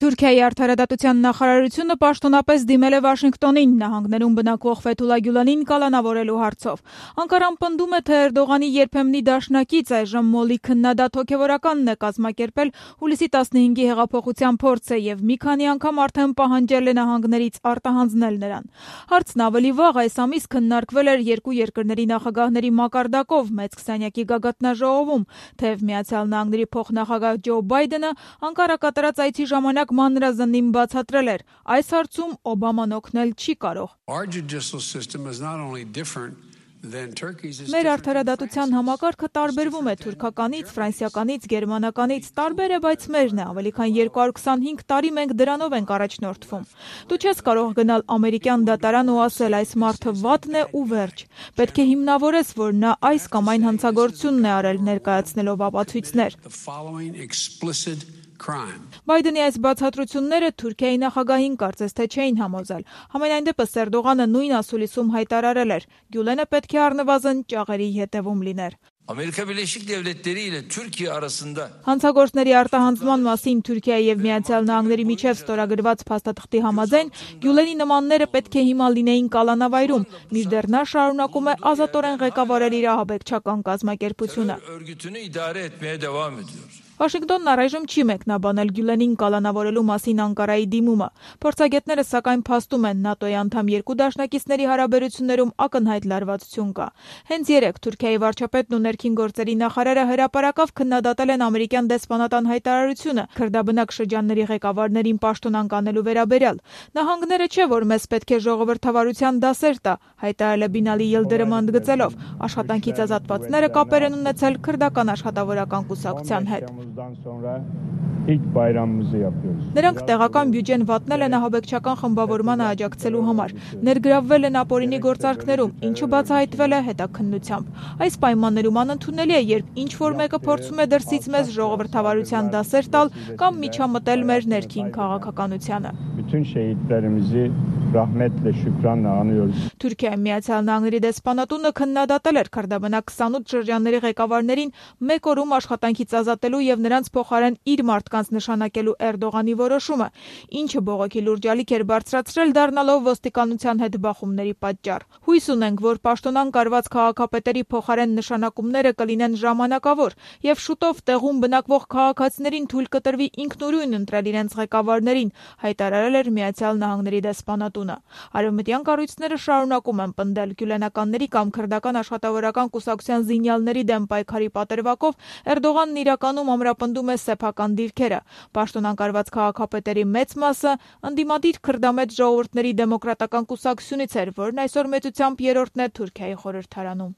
Թուրքիայի արդարադատության նախարարությունը պաշտոնապես դիմել է Վաշինգտոնին նահանգներում բնակվող Ֆեթուլա Գյուլանին կալանավորելու հարցով։ Անկարան պնդում է, թե Էրդողանի երբեմնի դաշնակից այժմ մոլի քննադատ հոգևորականն է կազմակերպել հուլիսի 15-ի հեղափոխության փորձը եւ մի քանի անգամ արդեն պահանջել է նահանգներից արտահանձնել նրան։ Հարցն ավելի վաղ այս ամիս քննարկվել էր երկու երկրների նախագահների մակարդակով մեծ քսանյակի գագաթնաժողովում, թեև Միացյալ Նահանգների փոխնախագահ Ջո Բայդենը Անկարա կատարած այցի ժամանակ մանրազնին բացատրել էր, այս հարցում Օբաման օգնել չի կարող։ Մեր արդարադատության համակարգը տարբերվում է թուրքականից, ֆրանսիականից, գերմանականից, տարբեր է, բայց մերն է, ավելի քան 225 տարի մենք դրանով ենք առաջնորդվում։ Դու չես կարող գնալ ամերիկյան դատարան ու ասել այս մարդը վատն է ու վերջ։ Պետք է հիմնավորես, որ նա այս կամ այն հանցագործությունն է արել, ներկայացնելով ապացույցներ։ Բայդենի այս բացատրությունները Թուրքիայի նախագահին կարծես թե չէին համոզել։ Համենայն դեպս Էրդողանը նույն ասուլիսում հայտարարել էր. Գյուլենը պետք է առնվազն ճաղերի ետևում լիներ։ Հանցագործների արտահանձնման մասին Թուրքիայի եւ Միացյալ Նահանգների միջև ստորագրված փաստաթղթի համաձայն Գյուլենի նմանները պետք է հիմա լինեին կալանավայրում, մինչդեռ նա շարունակում է ազատորեն ղեկավարել իր ահաբեկչական կազմակերպությունը։ Վաշինգտոնն առայժմ չի մեկնաբանել Գյուլենին կալանավորելու մասին Անկարայի դիմումը։ Փորձագետները սակայն փաստում են ՆԱՏՕ-ի անդամ երկու դաշնակիցների հարաբերություններում ակնհայտ լարվածություն կա։ Հենց երեկ Թուրքիայի վարչապետն ու ներքին գործերի նախարարը հրապարակավ քննադատել են ամերիկյան դեսպանատան հայտարարությունը քրդաբնակ շրջանների ղեկավարներին պաշտոնանկ անելու վերաբերյալ։ Նահանգները չէ, որ մեզ պետք է ժողովրդավարության դասեր տա, հայտարարել է Բինալի Յիլդիրումը ընդգծելով, աշխատանքից ազատվածները կապեր են ունեցել քրդական աշխատավորական կուսակցության հետ։ Նրանք տեղական բյուջեն վատնել են ահաբեկչական խմբավորմանը աջակցելու համար, ներգրավվել են ապօրինի գործարքներում, ինչը բացահայտվել է հետաքննությամբ։ Այս պայմաններում անընդունելի է, երբ ինչ-որ մեկը փորձում է դրսից մեզ ժողովրդավարության դասեր տալ կամ միջամտել մեր ներքին քաղաքականությանը։ Թուրքիայի Միացյալ Նահանգների դեսպանատունը քննադատել էր քրդաբնակ 28 շրջանների ղեկավարներին մեկ օրում աշխատանքից ազատելու եւ նրանց փոխարեն իր մարդկանց նշանակելու Էրդողանի որոշումը, ինչը բողոքի լուրջ ալիք էր բարձրացրել, դառնալով ոստիկանության հետ բախումների պատճառ։ Հույս ունենք, որ պաշտոնանկ արված քաղաքապետերի փոխարեն նշանակումները կլինեն ժամանակավոր եւ շուտով տեղում բնակվող քաղաքացիներին թույլ կտրվի ինքնուրույն ընտրել իրենց ղեկավարներին, հայտարարել էր Միացյալ Նահանգների դեսպանատունը։ Արևմտյան կառույցները շարունակում են պնդել գյուլենականների կամ քրդական աշխատավորական կուսակցության զինյալների դեմ պայքարի պատրվակով Էրդողանն իրականում ամրապնդում է սեփական դիրքերը։ Պաշտոնանկ արված քաղաքապետերի մեծ մասը ընդդիմադիր քրդամետ ժողովուրդների դեմոկրատական կուսակցությունից էր, որն այսօր մեծությամբ երրորդն է Թուրքիայի խորհրդարանում։